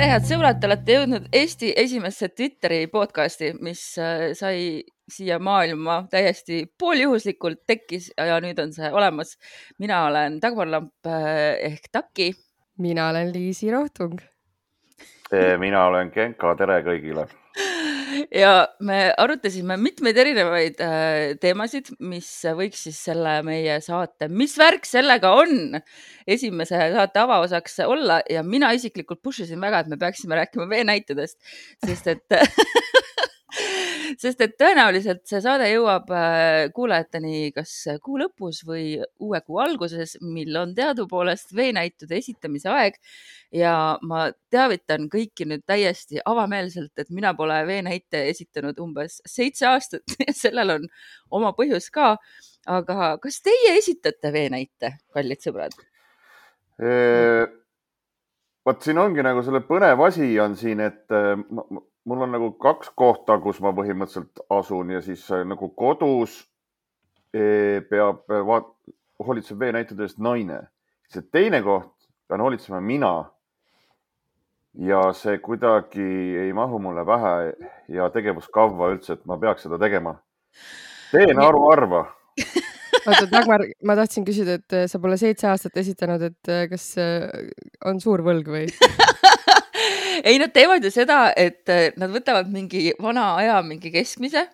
tere, head sõbrad, te olete jõudnud Eesti esimesse Twitteri podcasti, mis sai siia maailma täiesti pooljuhuslikult tekkis ja nüüd on see olemas. Mina olen Dagmar Lamp ehk Taki. Mina olen Liisi Rohtung. Mina olen Genka, tere kõigile. Ja me arutasime mitmeid erinevaid teemasid, mis võiks siis selle meie saate, mis värk sellega on, esimese saate avaosaks olla ja mina isiklikult pushisin väga, et me peaksime rääkima veenäitudest, sest et tõenäoliselt see saade jõuab kuulajateni kas kuu lõpus või uue kuu alguses, mil on teadupoolest veenäitude esitamise aeg ja ma teavitan kõiki nüüd täiesti avameelselt, et mina pole veenäite esitanud umbes 7 aastat ja sellel on oma põhjus ka, aga kas teie esitate veenäite, kallid sõbrad? Vaat siin ongi nagu selle põnev asi on siin, et mul on nagu 2 kohta, kus ma põhimõtteliselt asun ja siis nagu kodus hoolitseb veenäitude eest naine. See teine koht pean hoolitsema mina ja see kuidagi ei mahu mulle pähe ja tegevuskavva üldse, et ma peaks seda tegema. Teen arva. Oota, Dagmar, ma tahtsin küsida, et sa pole 7 aastat esitanud, et kas on suur võlg või? Ei, nad teevad ju seda, et nad võtavad mingi vana aja, mingi keskmise,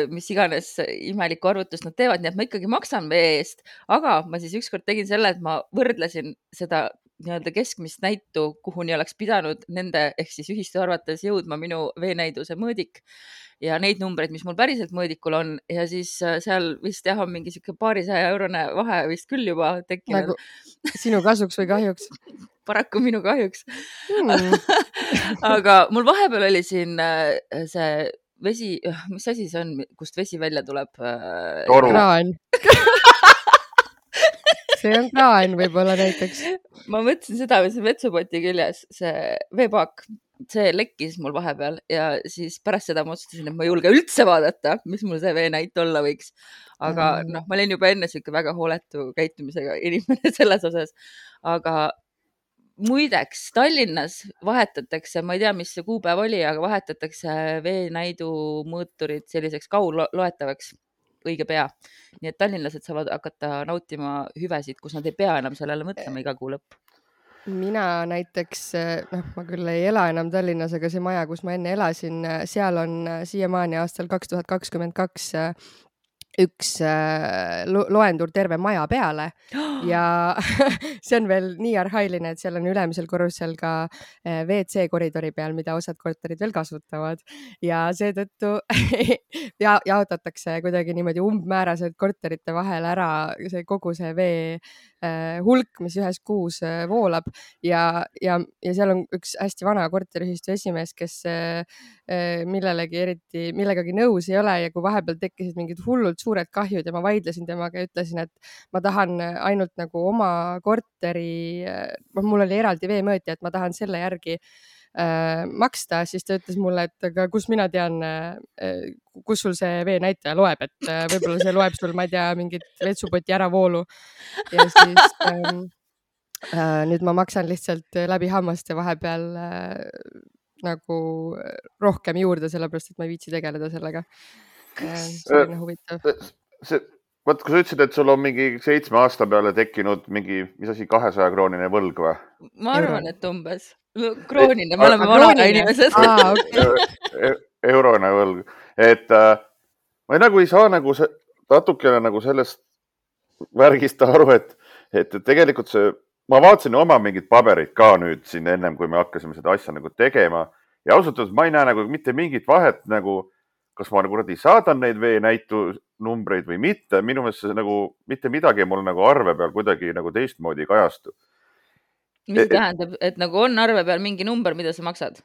mis iganes imelikku arvutust nad teevad, nii et ma ikkagi maksan vee eest, aga ma siis ükskord tegin selle, et ma võrdlesin seda nii-öelda keskmist näitu, kuhuni oleks pidanud nende ehk siis ühistu arvates jõudma minu veenäiduse mõõdik ja neid numbreid, mis mul päriselt mõõdikul on ja siis seal vist jah on mingi siuke paarisaja-eurone vahe vist küll juba tekkinud. Nagu sinu kasuks või kahjuks? Paraku minu kahjuks. Aga mul vahepeal oli siin see vesi, mis asi see on, kust vesi välja tuleb? Kraan. See on kraan võib-olla näiteks. Ma mõtlesin seda, mis on vetsupoti küljes, see veepaak, see lekkis mul vahepeal ja siis pärast seda ma otsustasin, et ma ei julge üldse vaadata, mis mul see veenäit olla võiks. Aga ma olin juba enne siuke väga hooletu käitumisega inimene selles osas. Aga muideks Tallinnas vahetatakse, ma ei tea, mis see kuupäev oli, aga vahetatakse veenäidu mõõturid selliseks kaugloetavaks õige pea. Nii et tallinlased saavad hakata nautima hüvesid, kus nad ei pea enam sellele mõtlema iga kuu lõpp. Mina näiteks, ma küll ei ela enam Tallinnas, aga see maja, kus ma enne elasin, seal on siiamaani aastal 2022 üks loendur terve maja peale ja see on veel nii arhailine, et seal on ülemisel korrusel ka WC koridori peal, mida osad korterid veel kasutavad ja seetõttu jaotatakse kuidagi niimoodi umbmääraselt korterite vahel ära see kogu see vee hulk, mis ühes kuus voolab ja seal on üks hästi vana korteriühistu esimees, kes millegagi nõus ei ole ja kui vahepeal tekkisid mingid hullult suured kahjud ja ma vaidlesin temaga ja ütlesin, et ma tahan ainult nagu oma korteri, mul oli eraldi veemõõtja, et ma tahan selle järgi maksta, siis ta ütles mulle, et aga kus mina tean, kus sul see veenäitaja loeb, et võib-olla see loeb sul, ma ei tea, mingit vetsupoti äravoolu ja siis nüüd ma maksan lihtsalt läbi hammaste vahepeal nagu rohkem juurde, sellepärast, et ma ei viitsi tegeleda sellega. See on huvitav. Vaat, kui sa ütlesid, et sul on mingi 7 aasta peale tekkinud mingi, mis asi, 200-kroonine võlg või? Ma arvan, et umbes. Kroonine, me oleme vanaga inimesed. Eurone võlg. Et ma nagu ei saa nagu natukene nagu sellest värgist aru, et tegelikult ma vaatasin oma mingid paberid ka nüüd siin ennem, kui me hakkasime seda asja nagu tegema ja ausalt öeldes ma ei näe nagu mitte mingit vahet nagu kas ma nagu saadan neid veenäitu numbreid või mitte, minu meelest see nagu mitte midagi mul nagu arve peal kuidagi nagu teistmoodi kajastu. Mis tähendab, et nagu on arve peal mingi number, mida sa maksad?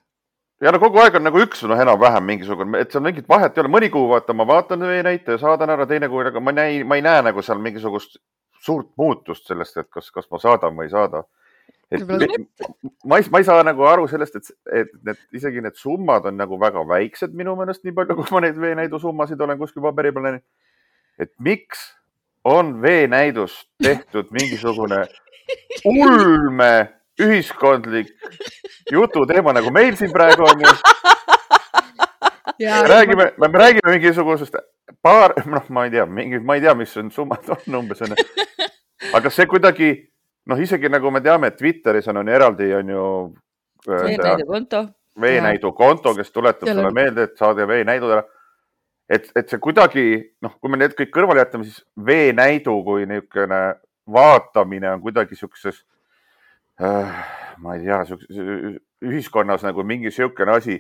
Ja no kogu aeg on nagu üks enam-vähem mingisugune, et seal mingit vahet ei ole. Mõni kuu ma vaatan veenäite ja saadan ära, teine kuu, aga ma ei näe nagu seal mingisugust suurt muutust sellest, et kas ma saadan või ei saada. Ma ei saa nagu aru sellest, et isegi need summad on nagu väga väiksed minu meelest, nii palju, kui ma neid veenäidu summasid olen kuskil paberi peal näinud. Et miks on veenäidus tehtud mingisugune ulme ühiskondlik jututeema, nagu meil siin praegu on ju. Me räägime mingisugusest ma ei tea, mis on summad on umbes. Aga see kuidagi, isegi nagu me teame, et Twitteris on eraldi on ju veenäidu konto, kes tuletab sulle meelde, et saade veenäidud ära. Et see kuidagi, kui me need kõik kõrvale jätame, siis veenäidu kui niisugune vaatamine on kuidagi siukses, ma ei tea, ühiskonnas nagu mingi siukene asi,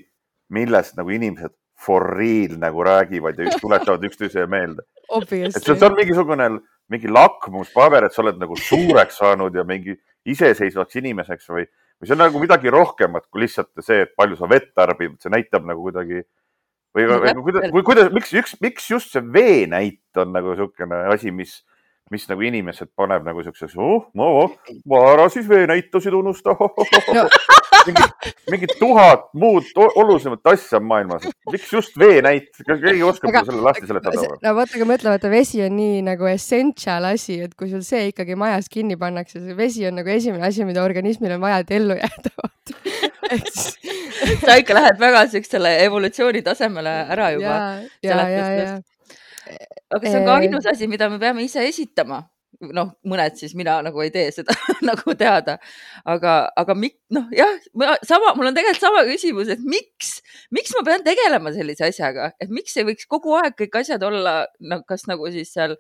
millest nagu inimesed for real nagu räägivad ja tuletavad üksteise meelde. Et see on mingi lakmuspaber, et sa oled nagu suureks saanud ja mingi iseseisvaks inimeseks või see on nagu midagi rohkemat kui lihtsalt see, et palju sa vett tarbid, see näitab nagu kuidagi miks just see veenäit on nagu siukene asi, mis nagu inimesed paneb nagu siukses, ma ära siis veenäitusid unusta. Mingi 1000 muud olulisemat asja maailmas. Miks just veenäit? Keegi oskab selle lasti seletada. No vaata, mõtleme, et vesi on nii nagu essential asi, et kui sul see ikkagi majas kinni pannakse, see vesi on nagu esimene asi, mida organismil on vaja, et ellu jääda. Sa ikka lähed väga selle evolutsiooni tasemele ära juba. Aga see on ka ainus asi, mida me peame ise esitama. Mõned siis mina nagu ei tee seda nagu teada. Aga mul on tegelikult sama küsimus, et miks ma pean tegelema sellise asjaga? Et miks ei võiks kogu aeg kõik asjad olla, kas nagu siis seal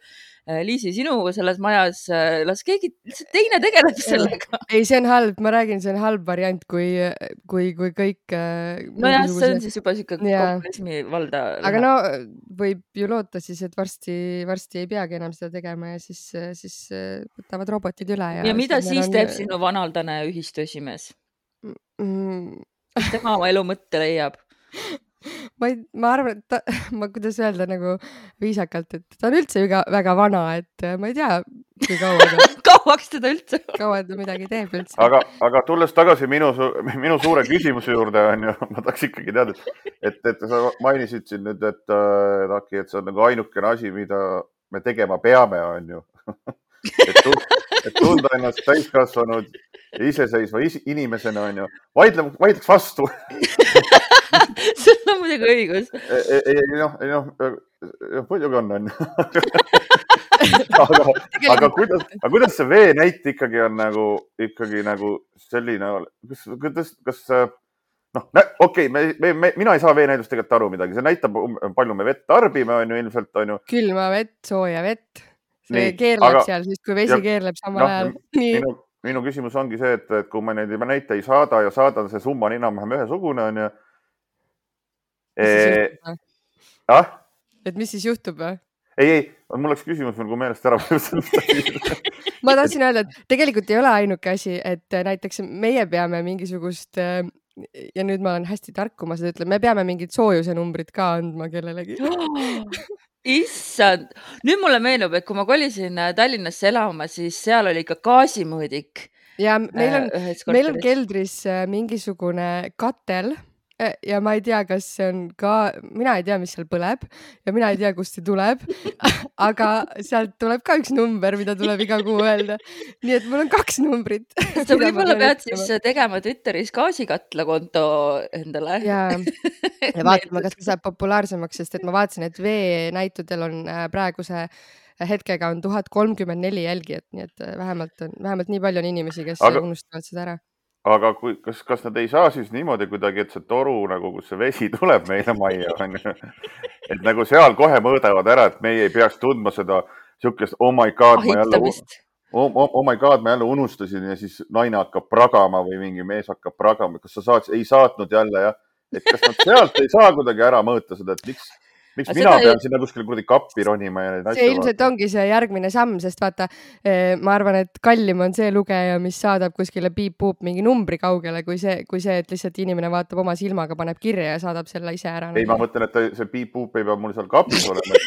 Liisi sinu selles majas, las keegi teine tegeleb sellega. Ei, see on halb, ma räägin, see on halb variant, kui kõik... Nojah, see on siis juba siuke kommunismi valda. Aga võib ju loota siis, et varsti ei peagi enam seda tegema ja siis võtavad robotid üle. Ja mida siis teeb sinu vanaldane ühistuesimees? Tema oma elu mõtte leiab. Ma arvan, et kuidas öelda nagu viisakalt, et ta on üldse väga vana, et ma ei tea, kui kauaks teda üldse. Kaua ta midagi teeb üldse. Aga tulles tagasi minu suure küsimuse juurde, ma tahaks ikkagi teada, et sa mainisid siin nüüd, et see on nagu ainukene asi, mida me tegema peame, on ju. Et tunda ennast täiskasvanud ja iseseisva inimesena, on ju. Vaidleks vastu. Sul on muidugi õigus. Muidugi on. Aga kuidas see veenäit ikkagi on nagu selline, kas mina ei saa veenäidust tegelikult aru midagi. See näitab, palju me vett tarbime, on ju ilmselt, on ju. Külma vett, sooja vett. See keerleb seal, siis kui vesi keerleb samal ajal. Minu küsimus ongi see, et kui ma neid näite ei saada ja saadan, see summa on enam-vähem ühesugune, on ju. Et mis siis juhtub või? Ei, mul oleks küsimus kui meelest ära. Ma tahtsin öelda, et tegelikult ei ole ainuke asi, et näiteks meie peame mingisugust, ja nüüd ma olen hästi tark, kui ma seda ütlen, me peame mingid soojuse numbrid ka andma kellelegi. Issand, nüüd mulle meenub, et kui ma kolisin Tallinnasse elama, siis seal oli ikka gaasimõõdik. Ja meil on keldris mingisugune katel ja ma ei tea, kas see on ka, mina ei tea, mis seal põleb ja mina ei tea, kust see tuleb, aga sealt tuleb ka üks number, mida tuleb iga kuu öelda. Nii et mul on 2 numbrit. Sa võib-olla pead siis tegema Twitteris gaasikatla konto endale. Ja vaatama, kas see saab populaarsemaks, sest et ma vaatasin, et veenäitudel on praeguse hetkega on 1034 jälgijat, nii et vähemalt nii palju on inimesi, kes unustavad seda ära. Aga kas nad ei saa siis niimoodi kuidagi, et see toru, nagu kus see vesi tuleb meile majja, et nagu seal kohe mõõdavad ära, et meie ei peaks tundma seda siukest, oh my god, ma jälle unustasin ja siis naine hakkab pragama või mingi mees hakkab pragama. Kas sa ei saatnud jälle, jah? Et kas nad sealt ei saa kuidagi ära mõõta seda, et miks mina pean sinna kuskil kuradi kappi ronima ja neid asja. See ilmselt ongi see järgmine samm, sest vaata, ma arvan, et kallim on see lugeja, mis saadab kuskile piip-puup mingi numbri kaugele, kui see, et lihtsalt inimene vaatab oma silmaga, paneb kirja ja saadab selle ise ära. Ei, ma mõtlen, et see piip-puup ei pea mul seal kapis olema.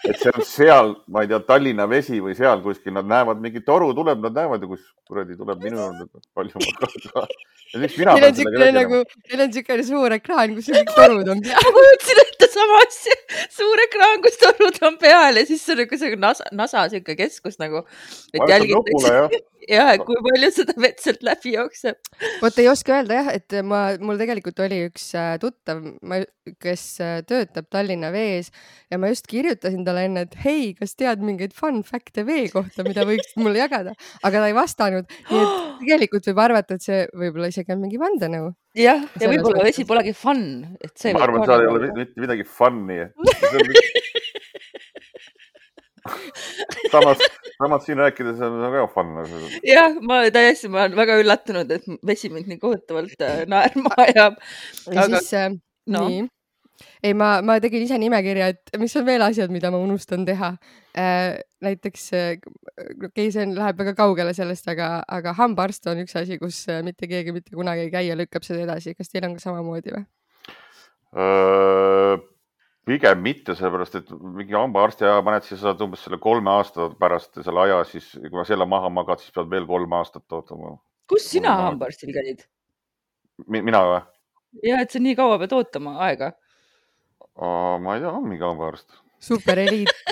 Et see on seal, ma ei tea, Tallinna vesi või seal kuskil, nad näevad, mingi toru tuleb, nad näevad ja kus kuradi tuleb minu palju ma Neil on siukene suur ekraan, kus kõik torud on peal. Ma kujutsin ette sama asja. Suur ekraan, kus torud on peal ja siis see on nagu NASA siuke keskus nagu, et ja kui palju seda vett sealt läbi jookseb. Vot ei oska öelda jah, et mul tegelikult oli üks tuttav, kes töötab Tallinna Vees ja ma just kirjutasin talle enne, et hei, kas tead mingeid fun fact'e vee kohta, mida võiks mulle jagada, aga ta ei vastanud. Nii et tegelikult võib arvata, et see võib-olla isegi on mingi vandenõu. Jah, ja võib-olla vesi polegi fun. Et see ma arvan, et seal ei ole mitte midagi fun'i. Samas siin rääkides on väga fun. Jah, ma olen väga üllatunud, et vesi mind nii kohutavalt naerma ajab. Ja siis, nii. Ei, ma tegin ise nimekirja, et mis on veel asjad, mida ma unustan teha. Näiteks, see läheb väga kaugele sellest, aga hambaarst on üks asi, kus mitte keegi mitte kunagi ei käi ja lükkab seda edasi. Kas teil on ka samamoodi või? Pigem mitte, sellepärast, et mingi hambaarsti aja paned, siis saad umbes selle 3 aasta pärast selle aja, siis kui ma selle maha magad, siis pead veel 3 aastat ootama. Kus sina hambaarstil käid? Mina või? Jah, et sa nii kaua pead ootama aega. Ma ei tea, on mingi hambaarst. Super eliit.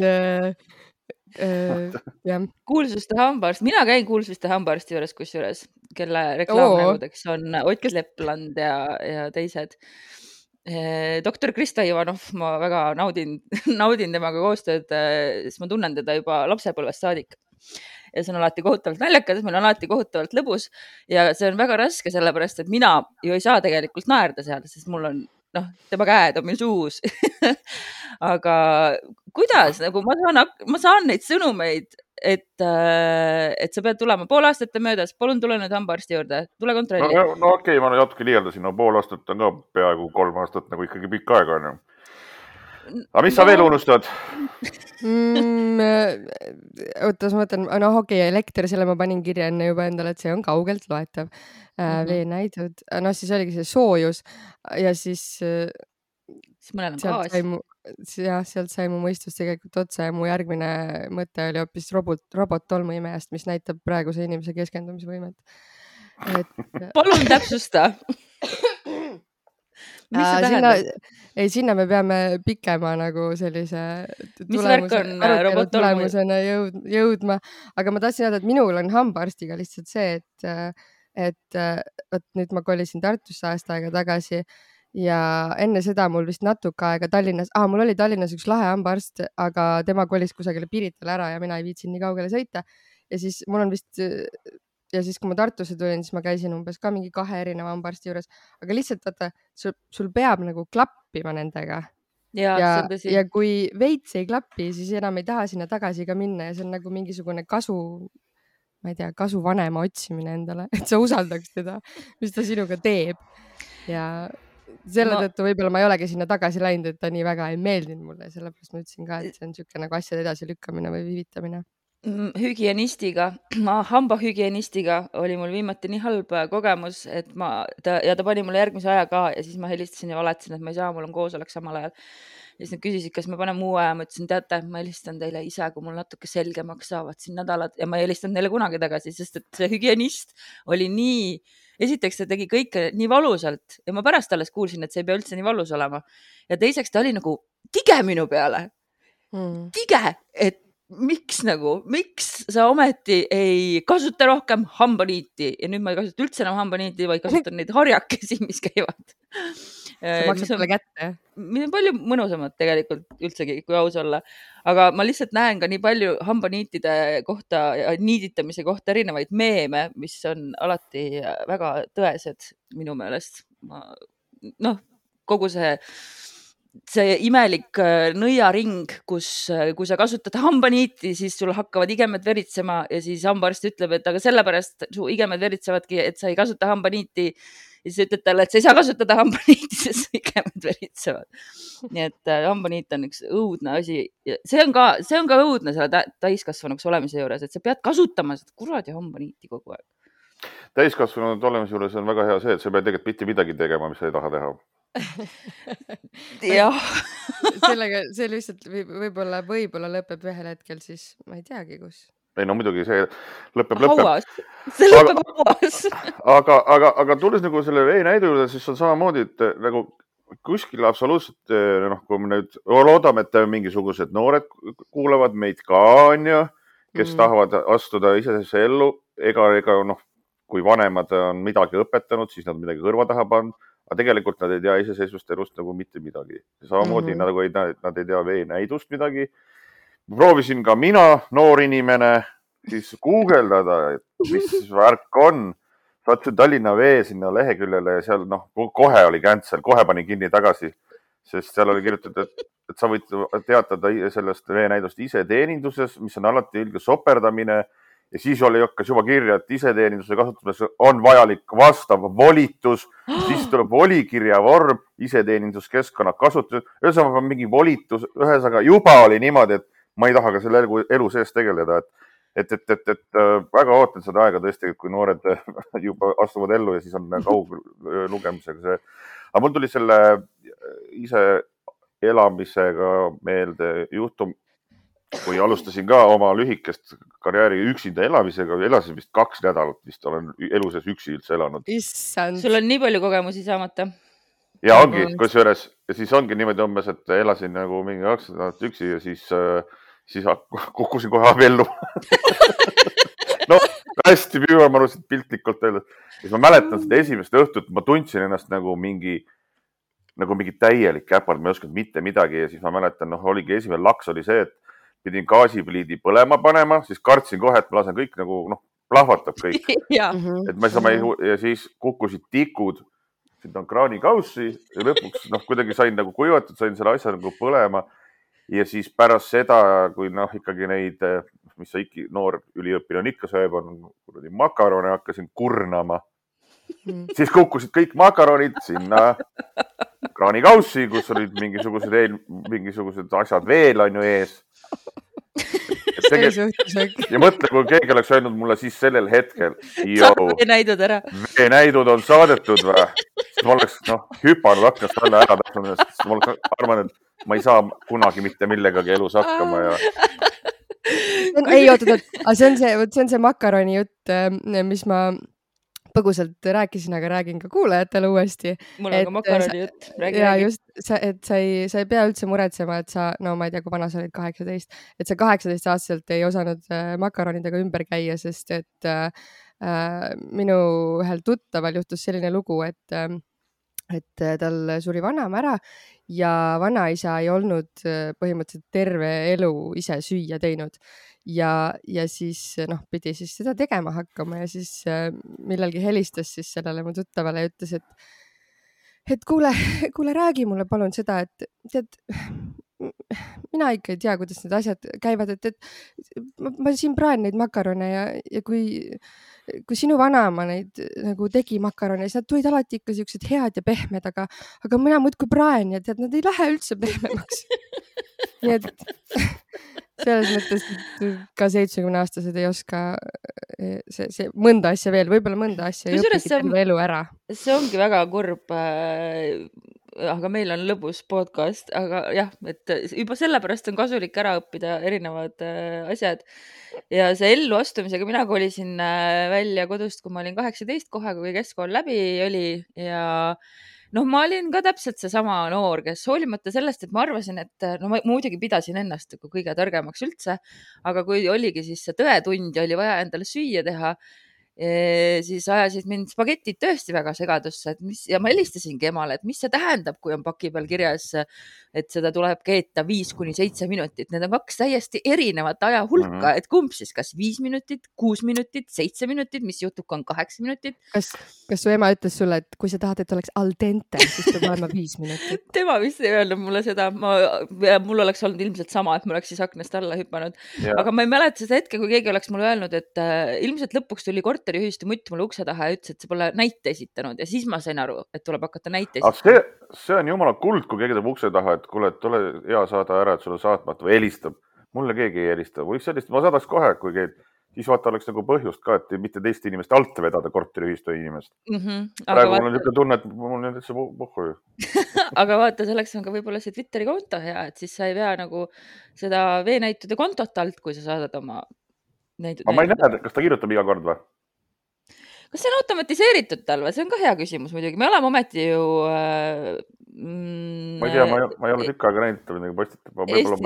Kuulsuste hambaarst. Mina käin kuulsuste hambaarsti juures, kusjuures, kelle reklaamnägudeks on Ott Lepland ja teised. Doktor Krista Ivanov, ma väga naudin temaga koostööd, siis ma tunnen teda juba lapsepõlvest saadik. Ja see on alati kohutavalt naljakas, meil on alati kohutavalt lõbus ja see on väga raske, sellepärast, et mina ju ei saa tegelikult naerda seal, sest mul on tema käed on meil suus. Aga kuidas, nagu ma saan neid sõnumeid, et sa pead tulema 5 aastat möödas, palun tule nüüd hambaarsti juurde, tule kontrolli. No okei, ma natuke liialdasin, 5 aastat on ka peaaegu 3 aastat nagu ikkagi pikk aega on. Aga mis sa veel unustad? Oota, ma mõtlen, okei, elekter, selle ma panin kirja enne juba endale, et see on kaugelt loetav. Veenäidud, siis oligi see soojus ja siis mõnel on gaas. Sealt sai mu mõistus tegelikult otsa ja mu järgmine mõte oli hoopis robot-tolmuimejast, mis näitab praeguse inimese keskendumisvõimet. Palun täpsusta. Mis see tähendab? Sinna me peame pikema nagu sellise tulemusena jõudma, aga ma tahtsin öelda, et minul on hambaarstiga lihtsalt see, et nüüd ma kolisin Tartusse aasta aega tagasi ja enne seda mul vist natuke aega Tallinnas, mul oli Tallinnas üks lahe hambaarst, aga tema kolis kusagile Piritale ära ja mina ei viitsin nii kaugele sõita ja siis mul on vist ja siis kui ma Tartusse tulin, siis ma käisin umbes ka mingi 2 erineva hambaarsti juures, aga lihtsalt vaata, sul peab nagu klappima nendega ja kui veits ei klappi, siis enam ei taha sinna tagasi ka minna ja see on nagu mingisugune ma ei tea, kasuvanema otsimine endale, et sa usaldaks teda, mis ta sinuga teeb ja selle tõttu võib-olla ma ei olegi sinna tagasi läinud, et ta nii väga ei meeldinud mulle, sellepärast ma ütlesin ka, et see on niisugune nagu asjade edasi lükkamine või viivitamine. Hambahügienistiga oli mul viimati nii halb kogemus, et ta pani mulle järgmise aja ka ja siis ma helistasin ja valetasin, et ma ei saa, mul on koosolek samal ajal. Ja siis nad küsisid, kas me paneme uue aja, ma ütlesin, teate, ma helistan teile ise, kui mul natuke selgemaks saavad siin nädalad ja ma ei helistanud neile kunagi tagasi, sest et see hügienist oli nii, esiteks ta tegi kõike nii valusalt ja ma pärast alles kuulsin, et see ei pea üldse nii valus olema. Ja teiseks ta oli nagu tige minu peale. Tige, et miks sa ometi ei kasuta rohkem hambaniiti ja nüüd ma ei kasuta üldse enam hambaniiti, vaid kasutan neid harjakesi, mis käivad. See maksab sulle kätte. Mis on palju mõnusamad tegelikult üldsegi, kui aus olla. Aga ma lihtsalt näen ka nii palju hambaniitide kohta ja niiditamise kohta erinevaid meeme, mis on alati väga tõesed minu meelest. Kogu see imelik nõiaring, kus kui sa kasutad hambaniiti, siis sul hakkavad igemed veritsema ja siis hambaarst ütleb, et aga sellepärast su igemed veritsevadki, et sa ei kasuta hambaniiti. Ja siis ütled talle, et sa ei saa kasutada hambaniiti, sest su igemed veritsevad. Nii et hambaniit on üks õudne asi. See on ka õudne selle täiskasvanuks olemise juures, et sa pead kasutama seda kuradi hambaniiti kogu aeg. Täiskasvanud olemise juures on väga hea see, et sa pead tegelikult mitte midagi tegema, mis sa ei taha teha. Jah. Sellega see lihtsalt võib-olla lõpeb ühel hetkel siis, ma ei teagi kus. Ei, no muidugi see lõpeb. Hauas. See lõpeb hauas. Aga tulles nagu selle veenäidu juurde, siis on samamoodi, et nagu kuskil absoluutselt, kui me nüüd loodame, et mingisugused noored kuulavad meid ka, on ju, kes tahavad astuda iseseisvuse ellu, ega noh, kui vanemad on midagi õpetanud, siis nad midagi kõrva taha pannud, aga tegelikult nad ei tea iseseisvust elust nagu mitte midagi. Samamoodi nad ei tea veenäidust midagi. Proovisin ka mina, noor inimene, siis guugeldada, et mis värk on. Saatsin Tallinna Vee sinna leheküljele ja seal kohe oli cancel, kohe panin kinni tagasi, sest seal oli kirjutatud, et sa võid teatada sellest veenäidust iseteeninduses, mis on alati ilge soperdamine ja siis hakkas juba kirja, et iseteeninduse kasutamiseks on vajalik vastav volitus, siis tuleb volikirja vorm, iseteeninduskeskkonna kasutus, ühesõnaga mingi volitus, ühesõnaga juba oli niimoodi, et ma ei taha ka selle elu sees tegeleda, et väga ootan seda aega tõesti, kui noored juba astuvad ellu ja siis on kauglugemisega see. Aga mul tuli selle ise elamisega meelde juhtum, kui alustasin ka oma lühikest karjääri üksinda elamisega, elasin vist 2 nädalat, vist olen elu sees üksi üldse elanud. Issand. Sul on nii palju kogemusi saamata. Ja ongi, kusjuures, ja siis ongi niimoodi umbes, et elasin nagu mingi 2 nädalat üksi ja siis kukkusin kohe abiellu. No, hästi püüamanusid piltlikult öeldes. Siis ma mäletan seda esimest õhtut, ma tundsin ennast nagu mingi täielik käpard, ma ei osanud mitte midagi ja siis ma mäletan, oligi esimene laks oli see, et pidin gaasipliidi põlema panema, siis kartsin kohe, et ma lasen kõik plahvatab kõik. Ja. Ja siis kukkusid tikud, siin on kraanikaussi ja lõpuks kuidagi sain kuivatud, sain selle asja põlema. Ja siis pärast seda, kui ikkagi neid, mis sa noor üliõpilane ikka sööb, on makarone, hakkasin kurnama. Siis kukkusid kõik makaronid sinna kraanikaussi, kus olid mingisugused asjad veel on ju ees. Ja mõtle, kui keegi oleks öelnud mulle siis sellel hetkel, veenäidud ära. Veenäidud on saadetud või? Siis ma oleks hüpanud aknast alla ära täpselt, sest ma oleks arvanud, et ma ei saa kunagi mitte millegagi elus hakkama. Ei, oota, see on see makaroni jutt, mis ma põgusalt rääkisin, aga räägin ka kuulajatele uuesti. Mul on ka makaroni jutt. Ja just, et sa ei pea üldse muretsema, et sa, ma ei tea, kui vana sa olid 18, et sa 18-aastaselt ei osanud makaronidega ümber käia, sest et minu ühel tuttaval juhtus selline lugu, et tal suri vanaema ära ja vanaisa ei olnud põhimõtteliselt terve elu ise süüa teinud. Ja siis pidi siis seda tegema hakkama ja siis millalgi helistas siis sellele mu tuttavale ja ütles, et kuule, räägi mulle palun seda, et tead, mina ikka ei tea, kuidas need asjad käivad, et ma siin praen neid makarone ja kui sinu vanaema neid tegi makarone, siis nad tulid alati ikka siuksed head ja pehmed, aga mina muudkui praen ja tead, nad ei lähe üldse pehmemaks. Nii et selles mõttes, et ka 70-aastased ei oska see mõnda asja veel, võib-olla mõnda asja ei õpigi terve elu ära. See ongi väga kurb, aga meil on lõbus podcast, aga jah, et juba sellepärast on kasulik ära õppida erinevad asjad. Ja see ellu astumisega mina kolisin välja kodust, kui ma olin 18 kohe, kui keskkool läbi oli ja ma olin ka täpselt seesama noor, kes hoolimata sellest, et ma arvasin, et ma muidugi pidasin ennast kõige targemaks üldse, aga kui oligi siis see tõetund ja oli vaja endale süüa teha, siis ajasid mind spagetid tõesti väga segadusse, ja ma helistasingi emale, et mis see tähendab, kui on paki peal kirjas, et seda tuleb keeta 5-7 minutit. Need on 2 täiesti erinevat aja hulka, et kumb siis, kas 5 minutit, 6 minutit, 7 minutit, mis juhtub, kui on 8 minutit. Kas su ema ütles sulle, et kui sa tahad, et oleks al dente, siis peab olema 5 minutit? Tema vist ei öelnud mulle seda. Mul oleks olnud ilmselt sama, et ma oleks siis aknast alla hüpanud. Aga ma ei mäleta seda hetke, kui keegi oleks mulle öelnud, et ilmselt lõpuks tuli korteriühistu mutt mulle ukse taha ja ütles, et sa pole näite esitanud ja siis ma sain aru, et tuleb hakata näite esitanud. See on jumala kuld, kui keegi teeb ukse taha, et kuule, et ole hea saada ära, et sulle saatmata või helistab. Mulle keegi ei helista. Võiks sellist, ma saadaks kohe, kui keegi, siis vaata oleks põhjust ka, et mitte teist inimest alt vedada korteriühistu inimest. Praegu mul on niisugune tunne, et mul on üldse puhku. Aga vaata, selleks on ka võib-olla see Twitteri konto hea, et siis sa ei pea seda veenäitude kontot alt, kui sa saadad oma näitud. Aga ma ei näe, kas ta kirjutab iga kord või? Kas see on automatiseeritud tal või? See on ka hea küsimus muidugi. Me oleme ometi ju Ma ei tea, ma ei ole tükk aega näinud, ta midagi postitab.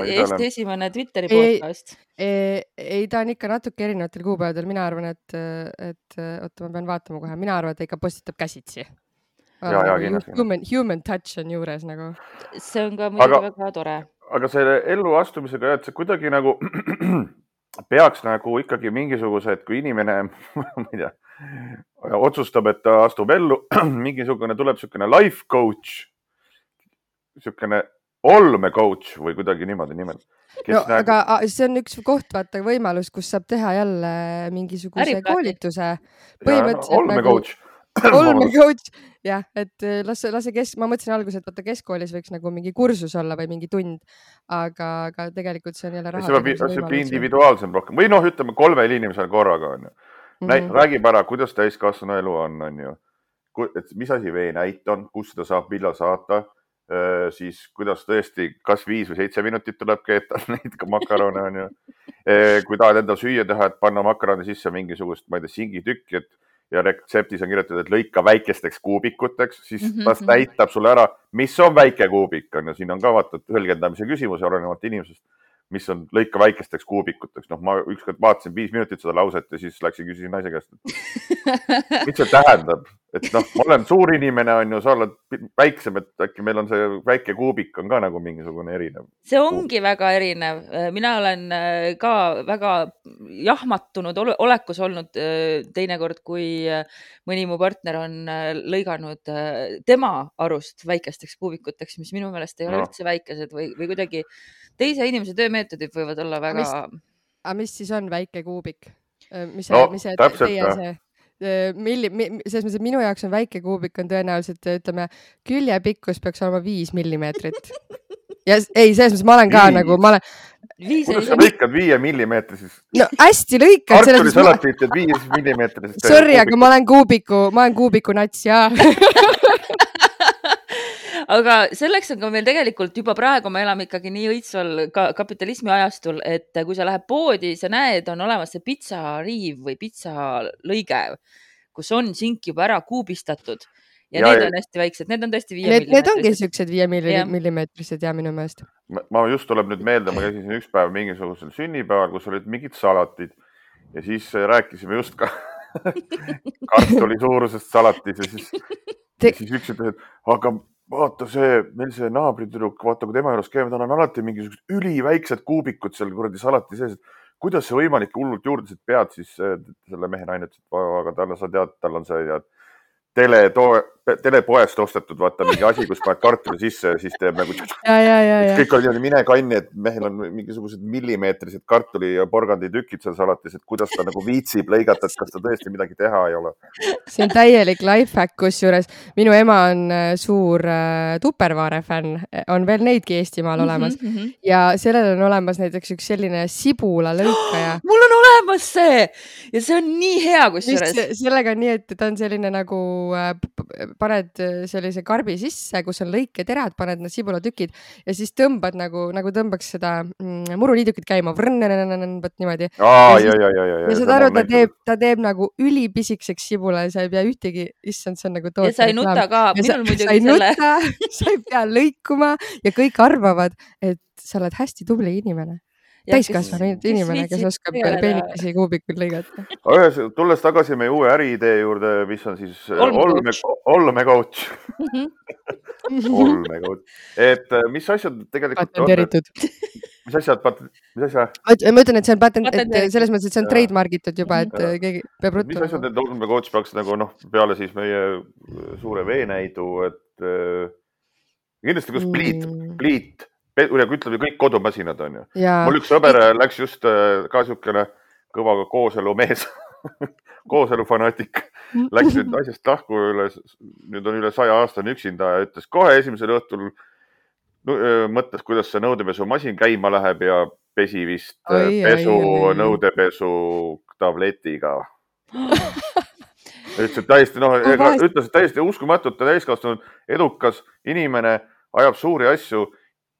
Eesti esimene Twitteri podcast. Ei, ta on ikka natuke erinevatel kuupäevadel. Mina arvan, et oota, ma pean vaatama kohe. Mina arvan, et ta ikka postitab käsitsi. Human touch on juures nagu. See on ka muidugi väga tore. Aga selle ellu astumisega, et see kuidagi nagu peaks nagu ikkagi mingisugused, kui inimene, ma ei tea, otsustab, et ta astub ellu, mingisugune tuleb niisugune life coach, niisugune olmecoach või kuidagi niimoodi nimelt. No, aga see on üks koht, vaata võimalus, kus saab teha jälle mingisuguse koolituse. Olmecoach. Olmecoach, jah, et lase ma mõtlesin alguses, et vaata keskkoolis võiks nagu mingi kursus olla või mingi tund, aga tegelikult see on jälle raha. See on individuaalsem rohkem. Või ütleme 3 inimesel korraga on ju. Räägib ära, kuidas täiskasvanu elu on ju. Mis asi veenäit on, kus seda saab millal saata, siis kuidas tõesti kas 5 või 7 minutit tuleb keeta neid makarone on ju. Kui tahad enda süüa teha, et panna makarone sisse mingisugust, ma ei tea, singitükki, ja retseptis on kirjutatud, et lõika väikesteks kuubikuteks, siis ta näitab sulle ära, mis on väike kuubik on ja siin on ka vaata tõlgendamise küsimus olenevalt inimesest, mis on lõika väikesteks kuubikuteks. Ma ükskord vaatasin 5 minutit seda lauset ja siis läksin küsisin naise käest, mis see tähendab, et ma olen suur inimene on ju, sa oled väiksem, et äkki meil on see väike kuubik on ka nagu mingisugune erinev. See ongi väga erinev. Mina olen ka väga jahmatunud olekus olnud teinekord, kui mõni mu partner on lõiganud tema arust väikesteks kuubikuteks, mis minu meelest ei ole üldse väikesed või kuidagi teise inimese töömeetodid võivad olla väga... Aga mis siis on väike kuubik? Mis täpselt see? Selles mõttes, et minu jaoks on väike kuubik on tõenäoliselt, ütleme, küljepikkus peaks olema 5 millimeetrit. Ja ei, selles mõttes ma olen ka nagu, kuidas sa lõikad 5 millimeetrisest? No hästi lõikad. Kartulisalatit 5 millimeetrisest. Sorry, aga ma olen kuubiku nats, jaa. Aga selleks on ka meil tegelikult juba praegu me elame ikkagi nii õitsval kapitalismi ajastul, et kui sa lähed poodi, sa näed, on olemas see pitsariiv või pitsalõige, kus on sink juba ära kuubistatud ja need on hästi väiksed. Need on tõesti 5 millimeetrised. Need ongi siuksed 5 millimeetrised ja minu meelest. Ma just tuleb nüüd meelde, ma käisin üks päev mingisugusel sünnipäeval, kus olid mingid salatid ja siis rääkisime just ka kartuli suurusest salatis ja siis üks ütles, et aga vaata meil see naabritüdruk, vaata kui tema juures käime, tal on alati mingisugused üliväiksed kuubikud seal kuradi salati sees, et kuidas see võimalik hullult juurde pead, siis selle mehe naine ütles, et aga talle sa tead, tal on see telepoest ostetud, vaata mingi asi, kus paned kartuli sisse ja siis teeb nagu kõik on niimoodi mine kanni, et mehel on mingisugused millimeetrised kartuli ja porgandi tükid seal salatis, et kuidas ta nagu viitsib lõigata, et kas ta tõesti midagi teha ei ole. See on täielik lifehack, kusjuures minu ema on suur Tupperware fänn, on veel neidki Eestimaal olemas ja sellel on olemas näiteks üks selline sibula lõikaja. Mul on olemas see ja see on nii hea kusjuures. Sellega on nii, et ta on selline nagu paned sellise karbi sisse, kus on lõiketerad, paned need sibulatükid ja siis tõmbad nagu tõmbaks seda muruliidukit käima. Niimoodi. Ja seda aru, ta teeb nagu ülipisikeseks sibula ja sa ei pea ühtegi, issand, see on nagu tootja. Ja sa ei nuta ka. Sa ei pea lõikuma ja kõik arvavad, et sa oled hästi tubli inimene. Täiskasvanud inimene, kes oskab peenikesi kuubikuid lõigata. Tulles tagasi meie uue äriidee juurde, mis on siis olmecoach. Olmecoach. Et mis asjad tegelikult patenteeritud. Mis asja? Ma ütlen, et see on et selles mõttes, et see on trademargitud juba, et keegi peab ruttu. Mis asjad need olmecoach peaks nagu peale siis meie suure veenäidu, et kindlasti kus pliit ütleme kõik kodumasinad on ju. Mul üks sõber läks just ka siukene kõva kooselumees, kooselufanaatik, läks nüüd asjast lahku nüüd on üle 100 aastane üksinda ja ütles kohe esimesel õhtul mõtles, kuidas see nõudepesumasin käima läheb ja pesi vist nõudepesu tabletiga. Ütles täiesti uskumatult täiskasvanud edukas inimene ajab suuri asju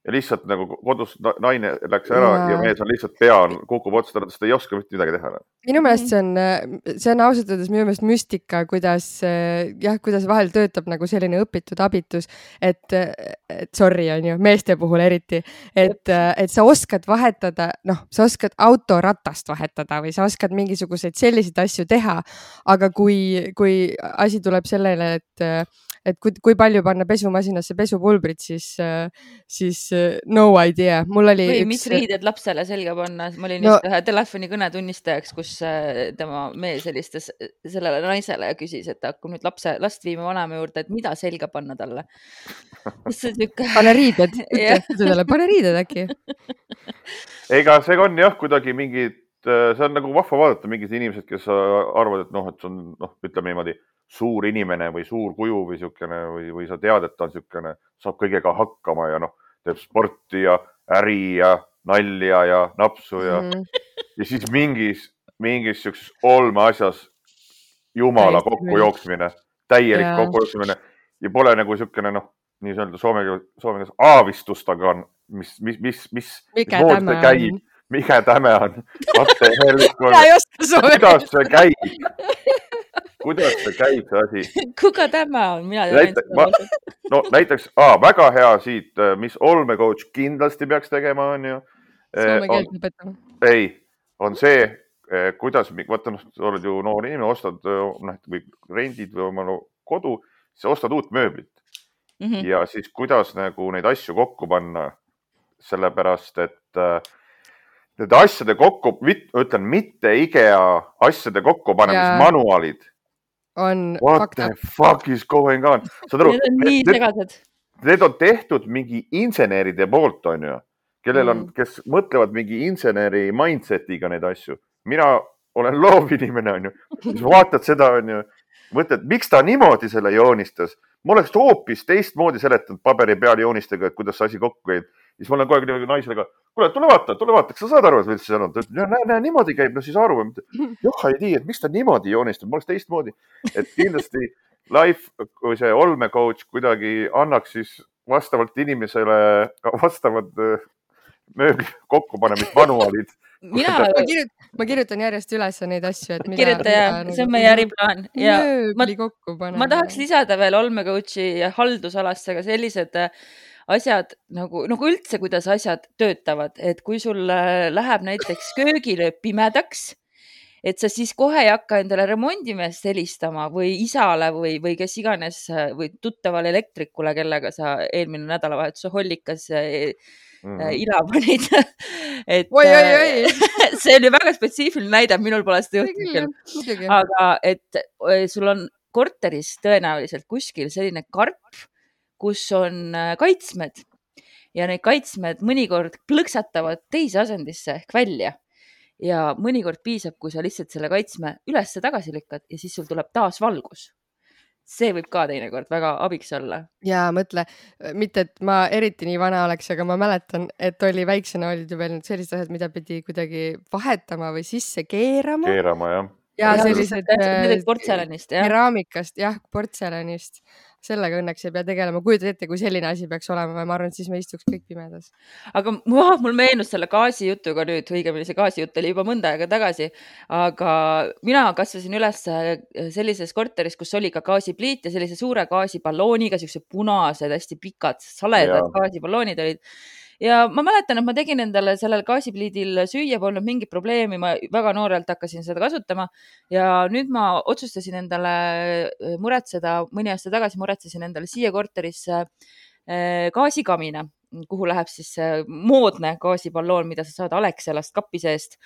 ja lihtsalt nagu kodus naine läks ära ja mees on lihtsalt pea kukub otsa, sest ta ei oska mitte midagi teha. Minu meelest see on ausalt öeldes minu meelest müstika, kuidas vahel töötab nagu selline õpitud abitus, et sorry on ju, meeste puhul eriti, et sa oskad vahetada, sa oskad autoratast vahetada või sa oskad mingisuguseid selliseid asju teha, aga kui asi tuleb sellele, et kui palju panna pesumasinasse pesupulbrit, siis no idea. Mul oli või mis riided lapsele selga panna. Ma olin just ühe telefonikõne tunnistajaks, kus tema mees helistas sellele naisele ja küsis, et hakkab nüüd last viima vanema juurde, et mida selga panna talle. Pane riided, pane riided äkki. Ega see on jah kuidagi mingid, see on nagu vahva vaadata mingid inimesed, kes arvavad, et et see on, ütleme niimoodi, suur inimene või suur kuju või siukene või sa tead, et ta on siukene, saab kõigega hakkama ja teeb sporti ja äri ja nalja ja napsu ja siis mingis siukses olmeasjas jumala kokkujooksmine, täielik kokkujooksmine ja pole nagu siukene, nii öelda soome keeles aavistust, aga mikä tämä käib, mikä tämä on, kuidas see käib? Kuidas see käib see asi? Kuka tämä on? Näiteks väga hea siit, mis olmecoach kindlasti peaks tegema, on ju. Soome keelt lõpetama. Ei, on see, kuidas, vaata, oled ju noor inimene, ostad või rendid või oma kodu, siis ostad uut mööblit. Ja siis kuidas nagu neid asju kokku panna, sellepärast, et nende asjade kokku, ütlen, mitte IKEA asjade kokkupanemismanuaalid. What the fuck is going on? Need on nii segased. Need on tehtud mingi inseneride poolt, on ju, kes mõtlevad mingi inseneri mindsetiga neid asju. Mina olen loovinimene, on ju. Siis vaatad seda, on ju, mõtled, miks ta niimoodi selle joonistas? Ma oleks hoopis teistmoodi seletanud paberi peal joonistega, et kuidas see asi kokku käib. Siis ma olen kogu aeg naisele ka, kuule, tule vaata, kas sa saad aru, et üldse see on? Ta ütleb, näe, niimoodi käib, siis aru. Joh, ei tii, et miks ta niimoodi joonistab, ma oleks teistmoodi. Et kindlasti life või see olmecoach kuidagi annaks siis vastavalt inimesele vastavad mööbli kokkupanemismanuaalid. Ma kirjutan järjest üles neid asju. Kirjuta ja, see on meie äriplaan. Mööbli kokkupanemine. Ma tahaks lisada veel olmecoachi haldusalasse ka sellised asjad nagu üldse, kuidas asjad töötavad, et kui sul läheb näiteks köögilöö pimedaks, et sa siis kohe ei hakka endale remondimeest helistama või isale või kes iganes või tuttavale elektrikule, kellega sa eelmine nädalavahetuse hollikas ila panid. See on ju väga spetsiifiline näide, minul pole seda juhtunud. Aga et sul on korteris tõenäoliselt kuskil selline karp, kus on kaitsmed ja need kaitsmed mõnikord plõksatavad teise asendisse ehk välja ja mõnikord piisab, kui sa lihtsalt selle kaitsme üles tagasi lükkad ja siis sul tuleb taas valgus. See võib ka teinekord väga abiks olla. Ja mõtle, mitte et ma eriti nii vana oleks, aga ma mäletan, et oli väiksena olid ju veel sellised asjad, mida pidi kuidagi vahetama või sisse keerama. Jah. Ja sellised portselanist, keraamikast, portselanist. Sellega õnneks ei pea tegelema. Kujutad ette, kui selline asi peaks olema, ma arvan, et siis me istuks kõik pimedas. Aga mul meenus selle gaasijutuga nüüd, õigemini see gaasijutt oli juba mõnda aega tagasi, aga mina kasvasin üles sellises korteris, kus oli ka gaasipliit ja sellise suure gaasiballooniga, sellised punased, hästi pikad, saledad gaasiballoonid olid. Ja ma mäletan, et ma tegin endale sellel gaasipliidil süüa, polnud mingit probleemi, ma väga noorelt hakkasin seda kasutama ja nüüd ma otsustasin endale mõni aasta tagasi muretsesin endale siia korterisse gaasikamina, kuhu läheb siis moodne gaasiballoon, mida sa saad Alexelast kapi seest.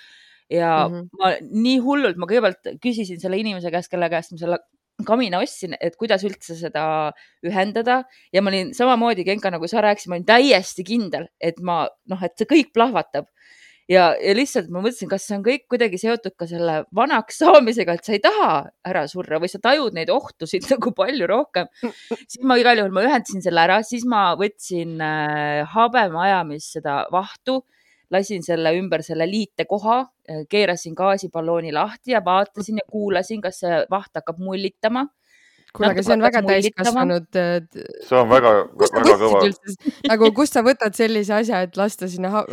Ja ma nii hullult, ma kõigepealt küsisin selle inimese käest, kelle käest ma selle kamina ostsin, et kuidas üldse seda ühendada ja ma olin samamoodi Genka, nagu sa rääkisid, ma olin täiesti kindel, et et see kõik plahvatab ja lihtsalt ma mõtlesin, kas see on kõik kuidagi seotud ka selle vanaks saamisega, et sa ei taha ära surra või sa tajud neid ohtusid nagu palju rohkem. Siis ma igal juhul ühendasin selle ära, siis ma võtsin habemaajamis seda vahtu, lasin selle ümber selle liitekoha, keerasin gaasiballooni lahti ja vaatasin ja kuulasin, kas see vaht hakkab mullitama. kuule, aga see on väga täiskasvanud. See on väga kõva. Nagu kust sa võtad sellise asja, et lasta sinna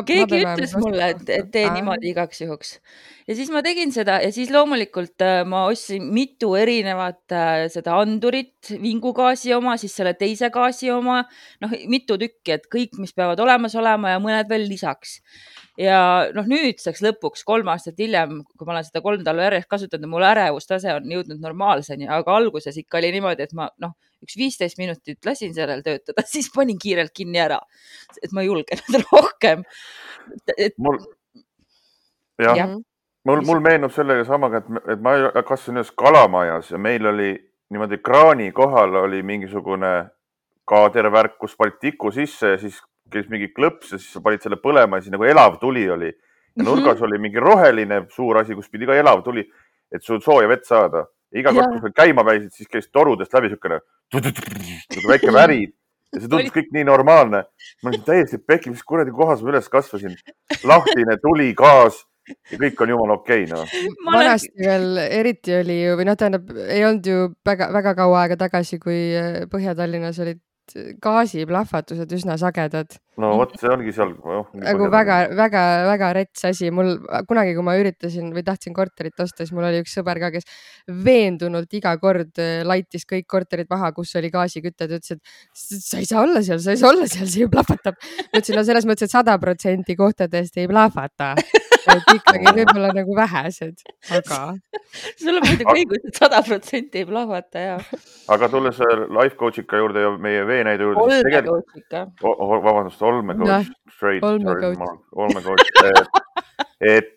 keegi ütles mulle, et tee niimoodi igaks juhuks. Ja siis ma tegin seda ja siis loomulikult ma ostsin mitu erinevat seda andurit, vingugaasi oma, siis selle teise gaasi oma, mitu tükki, et kõik, mis peavad olemas olema ja mõned veel lisaks. Ja nüüdseks lõpuks 3 aastat hiljem, kui ma olen seda 3 talve järjest kasutanud, mul ärevustase on jõudnud normaalseni, aga alguses ikka oli niimoodi, et ma üks 15 minutit lasin sellel töötada, siis panin kiirelt kinni ära, et ma julgen rohkem. Mul meenub sellega samaga, et ma kasvasin ühes kalamajas ja meil oli niimoodi kraani kohal oli mingisugune kaadervärk, kus panid tiku sisse ja siis käis mingi klõps ja siis sa panid selle põlema ja siis nagu elav tuli oli. Ja nurgas oli mingi roheline suur asi, kus pidi ka elav tuli, et sul sooja vett saada. Iga kord, kui sa käima päisid, siis käis torudest läbi siukene väike värid ja see tundus kõik nii normaalne. Ma olin täiesti pekki, mis kuradi kohas ma üles kasvasin. Lahtine tuli, gaas ja kõik on jumal okei. Vanasti veel eriti oli ju, või tähendab, ei olnud ju väga kaua aega tagasi, kui Põhja-Tallinnas olid gaasiplahvatused üsna sagedad. No vot, see ongi seal. Nagu väga rets asi. Mul kunagi, kui ma üritasin või tahtsin korterit osta, siis mul oli üks sõber ka, kes veendunult iga kord laitis kõik korterid maha, kus oli gaasikütte. Ta ütles, et sa ei saa olla seal, see ju plahvatab. Ma ütlesin, no selles mõttes, et 100% kohtadest ei plahvata. Et ikkagi võib-olla nagu vähesed, aga... Sul on muidugi õigus, et 100% ei plahvata, jah. Aga tulles life coach'ika juurde ja meie veenäide juurde... Olmecoach'ika. Vabandust, olmecoach. Olmecoach. Et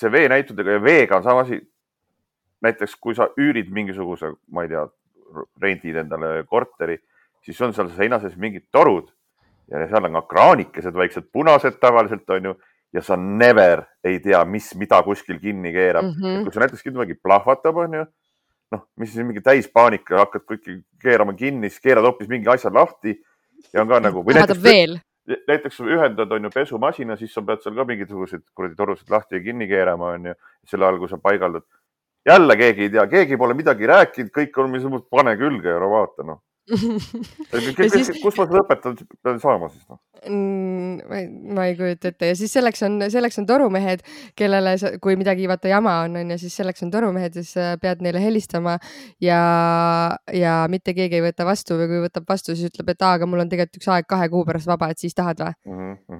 see veenäitudega ja veega on sama asi. Näiteks, kui sa üürid mingisuguse, ma ei tea, rendid endale korteri, siis on seal seina sees mingid torud ja seal on ka kraanikesed, väiksed punased tavaliselt on ju. Ja sa never ei tea, mida kuskil kinni keerab. Kui sa näiteks midagi plahvatab, on ju, mis siis mingi täispaanika, hakkad kõik keerama kinni, siis keerad hoopis mingi asja lahti ja on ka nagu... Näiteks ühendad on ju pesumasina, siis sa pead seal ka mingisugused torusid lahti ja kinni keerama, on ju, selle all, kui sa paigaldad. Jälle keegi ei tea, keegi pole midagi rääkinud, kõik on mis pane külge ja vaata, Kus ma seda õpetan pean saama siis? Ma ei kujuta ette ja siis selleks on torumehed, kellele, kui midagi vaata jama on ja siis selleks on torumehed, siis pead neile helistama ja mitte keegi ei võta vastu või kui võtab vastu, siis ütleb, et aga mul on tegelikult üks aeg 2 kuu pärast vaba, et siis tahad või?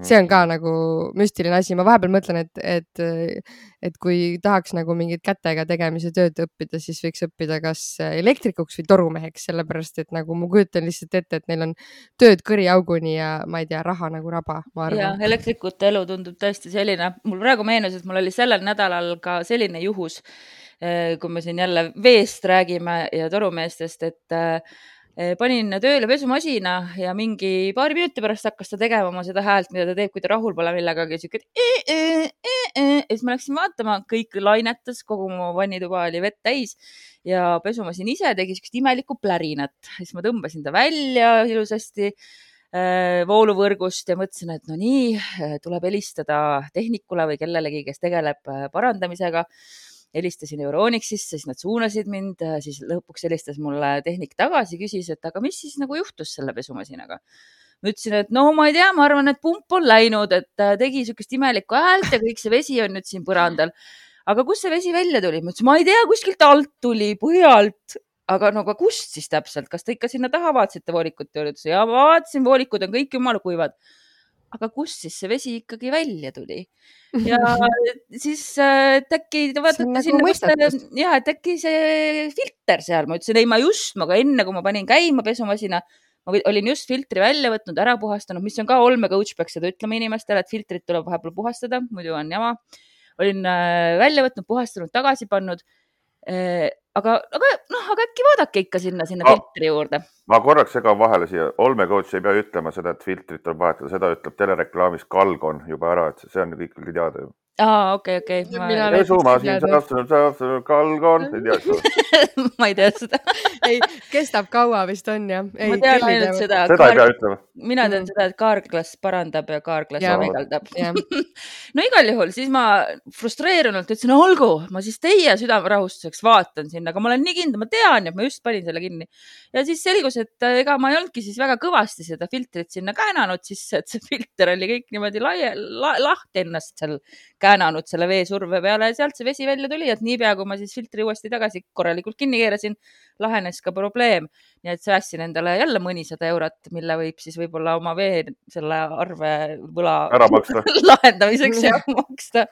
See on ka nagu müstiline asi. Ma vahepeal mõtlen, et kui tahaks nagu mingit kätega tegemise tööd õppida, siis võiks õppida kas elektrikuks või torumeheks, sellepärast et nagu ma kujutan lihtsalt ette, et neil on tööd kõriauguni ja ma ei tea, raha nagu raba, ma arvan. Ja elektrikute elu tundub tõesti selline. Mul praegu meenus, et mul oli sellel nädalal ka selline juhus, kui me siin jälle veest räägime ja torumeestest, et panin tööle pesumasina ja mingi 2 minuti pärast hakkas ta tegema oma seda häält, mida ta teeb, kui ta rahul pole millegagi. Ja siis ma läksin vaatama, kõik lainetas, kogu mu vannituba oli vett täis ja pesumasin ise tegi sellist imelikku plärinat. Siis ma tõmbasin ta välja ilusasti vooluvõrgust ja mõtlesin, et no nii, tuleb helistada tehnikule või kellelegi, kes tegeleb parandamisega. Helistasin Euronixisse, siis nad suunasid mind, siis lõpuks helistas mulle tehnik tagasi, küsis, et aga mis siis nagu juhtus selle pesumasinaga? Ma ütlesin, et no ma ei tea, ma arvan, et pump on läinud, et tegi sellist imelikku häält ja kõik see vesi on nüüd siin põrandal. Aga kus see vesi välja tuli? Ma ütlesin, ma ei tea, kuskilt alt tuli, põhjalt. Aga no kust siis täpselt? Kas te ikka sinna taha vaatasite voolikut? Ja ma vaatasin, voolikud on kõik jumala kuivad. Aga kust siis see vesi ikkagi välja tuli? Ja siis äkki vaatate sinna, et äkki see filter seal. Ma ütlesin, ei, ma enne, kui ma panin käima pesumasina, ma olin just filtri välja võtnud, ära puhastanud, mis on ka olmecoach peaks seda ütlema inimestele, et filtrit tuleb vahepeal puhastada, muidu on jama. Olin välja võtnud, puhastanud, tagasi pannud. Aga äkki vaadake ikka sinna filtri juurde. Ma korraks segan vahele siia. Olmecoach ei pea ütlema seda, et filtrit on vahetada. Seda ütleb telereklaamis Kalgon juba ära, et see on ju kõik teada. okei. Mina näiteks pesumasin ei saab kalgon. Ma ei tea seda. ei, kestab kaua vist on jah. Ma tean ainult seda. Seda ei pea ütlema. Mina tean seda, et kaarglas parandab ja kaarglas paigaldab. No igal juhul, siis ma frustreerunult ütlesin, olgu, ma siis teie südamerahustuseks vaatan sinna, aga ma olen nii kindel, ma tean, et ma just panin selle kinni. Ja siis selgus, et ega ma ei olnudki siis väga kõvasti seda filtrit sinna käänanud sisse, et see filter oli kõik niimoodi lahti ennast seal käänanud selle veesurve peale ja sealt see vesi välja tuli, et niipea, kui ma siis filtri uuesti tagasi korralikult kinni keerasin, lahenes ka probleem. Nii et säässin endale jälle mõnisada eurot, mille võib siis võib-olla oma vee selle arve võla lahendamiseks maksta.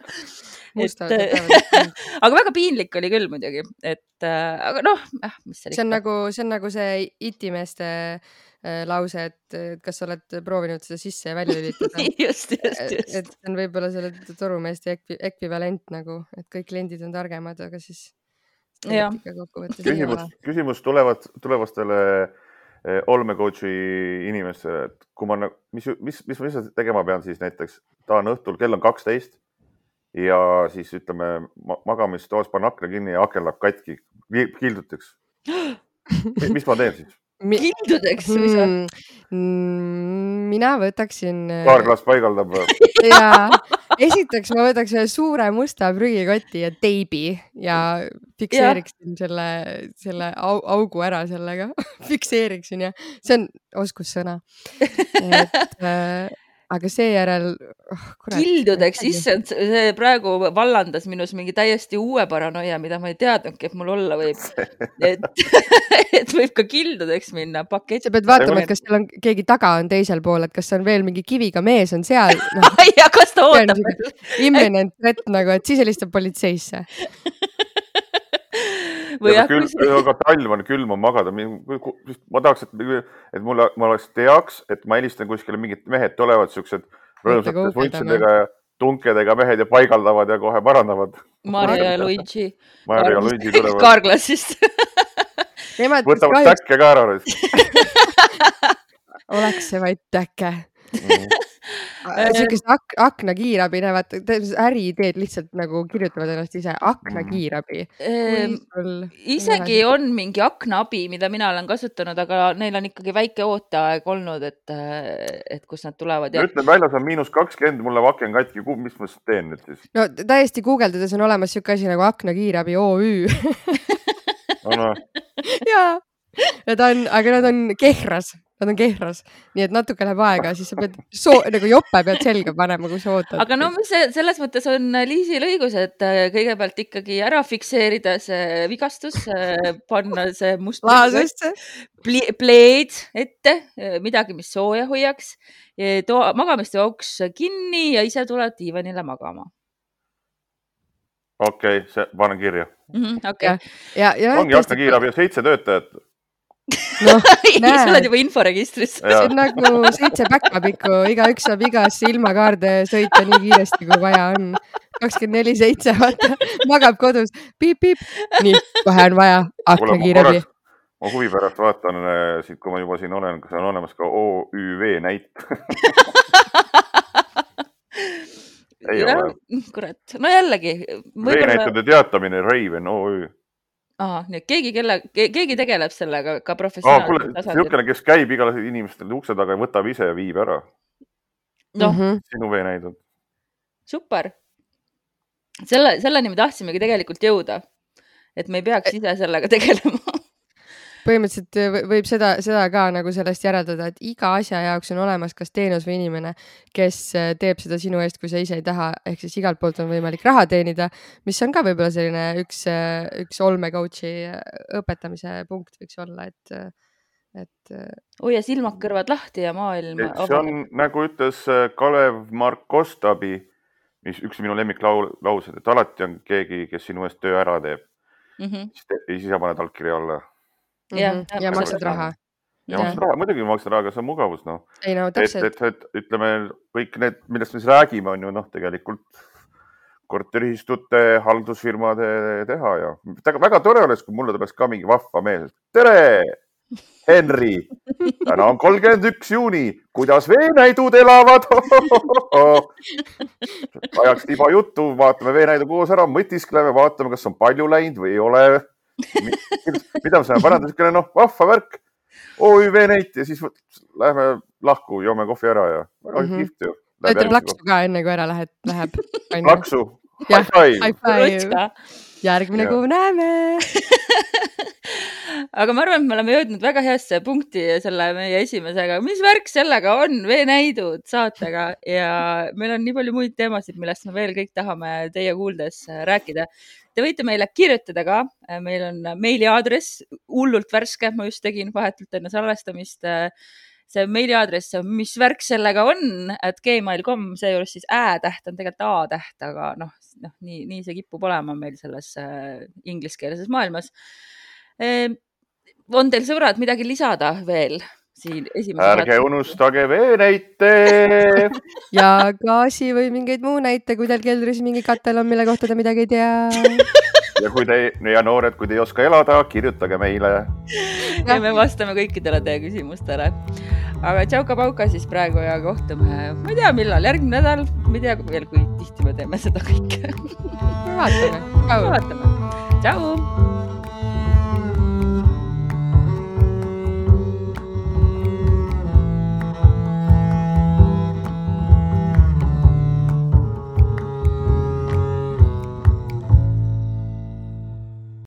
Aga väga piinlik oli küll muidugi, aga noh, mis see on nagu see itimeeste lause, et kas sa oled proovinud seda sisse ja välja lülitada. just. Et see on võib-olla selle torumeeste ekvivalent nagu, et kõik kliendid on targemad, aga siis küsimus tulevastele olmecoachi inimestele, et kui ma, mis tegema pean siis näiteks, ta on õhtul, kell on 12 ja siis ütleme magamistoas panen akna kinni ja aken läheb katki, kilduteks. Mis ma teen siis? Kildudeks? Mina võtaksin... Kaarglas paigaldab. Ja esiteks ma võtaks ühe suure musta prügikoti ja teibi ja fikseeriksin selle augu ära sellega. Fikseeriksin ja see on oskussõna. Aga seejärel... Kildudeks, issand, see praegu vallandas minus mingi täiesti uue paranoia, mida ma ei teadnudki, et mul olla võib. Et võib ka kildudeks minna. Sa pead vaatama, et kas seal on keegi taga on teisel pool, et kas on veel mingi kiviga mees on seal. Ja kas ta ootab? Imminent threat nagu, et siis helistab politseisse. Aga talv on külm on magada. Ma tahaks, et ma oleks teaks, et ma helistan kuskile mingid mehed tulevad siuksed rõõmsates vuntsidega ja tunkedega mehed ja paigaldavad ja kohe parandavad. Maria ja Luigi tulevad. Kaarglassist. Võtavad täkke ka ära. Oleks see vaid täkke. Siukest aknakiirabi näevad, äriideed lihtsalt nagu kirjutavad ennast ise, aknakiirabi. Isegi on mingi aknaabi, mida mina olen kasutanud, aga neil on ikkagi väike ooteaeg olnud, et kus nad tulevad. Ütlen väljas on -20, mulle vaken katki, mis ma teen nüüd siis? No täiesti guugeldades on olemas siuke asi nagu aknakiirabi OÜ. Jaa, aga nad on kehras. Nad on kehras, nii et natuke läheb aega, siis sa pead nagu joppe pead selga panema, kui sa ootad. Aga no selles mõttes on Liisil õigus, et kõigepealt ikkagi ära fikseerida see vigastus, panna see must pleed ette, midagi, mis sooja hoiaks, magamistoaks kinni ja ise tuled diivanile magama. Okei, see panen kirja. Ongi aknakiirabi 7 töötajat. No, sa oled juba inforegistris. See on nagu 7 backupikku, igaüks saab igasse ilmakaarde sõita nii kiiresti, kui vaja on. 24/7, vaata, magab kodus, piip. Nii, kohe on vaja aknakiirabi. Ma huvi pärast vaatan, kui ma juba siin olen, kas on olemas ka OÜV näit. Ei ole. Kurat, no jällegi. Veenäitude teatamine, Raven OÜ. Nii, keegi tegeleb sellega ka professionaalselt tasandil. Siukene, kes käib igale inimestele ukse taga ja võtab ise ja viib ära. Sinu veenäidud. Super. Selleni me tahtsimegi tegelikult jõuda, et me ei peaks ise sellega tegelema. Põhimõtteliselt võib seda ka nagu sellest järeldada, et iga asja jaoks on olemas kas teenus või inimene, kes teeb seda sinu eest, kui sa ise ei taha, ehk siis igalt poolt on võimalik raha teenida, mis on ka võib-olla selline üks olmecoachi õpetamise punkt võiks olla, et hoia silmad kõrvad lahti ja maailm. See on nagu ütles Kalev Mark Kostabi, mis üks minu lemmiklaused, et alati on keegi, kes sinu eest töö ära teeb. Siis sa paned allkirja alla. Ja maksad raha. Muidugi maksad raha, aga see on mugavus. Ei no, täpselt. Ütleme, kõik need, millest me siis räägime, on ju tegelikult korteriühistute, haldusfirmade teha ja väga tore oleks, kui mulle tuleks ka mingi vahva mees. Tere! Henri, täna on 31 juuni, kuidas veenäidud elavad? Ajaks tiba juttu, vaatame veenäidu koos ära, mõtiskleme, vaatame, kas on palju läinud või ei ole. Mida me saame parandada, noh, vahva värk. Oi, veenäit ja siis lähme lahku, joome kohvi ära ja väga kihvt ju. Ütleb laksu ka enne, kui ära läheb. Laksu. High five. Järgmine kuu näeme. Aga ma arvan, et me oleme jõudnud väga heasse punkti selle meie esimesega. Mis värk sellega on? Veenäidud saatega ja meil on nii palju muid teemasid, millest me veel kõik tahame teie kuuldes rääkida. Te võite meile kirjutada ka. Meil on meiliaadress hullult värske. Ma just tegin vahetult enne salvestamist. See meiliaadress, mis värk sellega on, et gmail.com, see juures siis ä-täht on tegelikult a-täht, aga nii see kipub olema meil selles ingliskeelses maailmas. On teil sõbrad midagi lisada veel siin esimese Ärge unustage veenäite. Ja gaasi või mingeid muu näite, kui teil keldris mingi katel on, mille kohta te midagi ei tea. Ja noored, kui te ei oska elada, kirjutage meile. Ja me vastame kõikidele teie küsimustele. Aga tšauka-pauka siis praegu ja kohtume, ma ei tea millal, järgmine nädal, ma ei tea veel, kui tihti me teeme seda kõike. Vaatame. Tšau!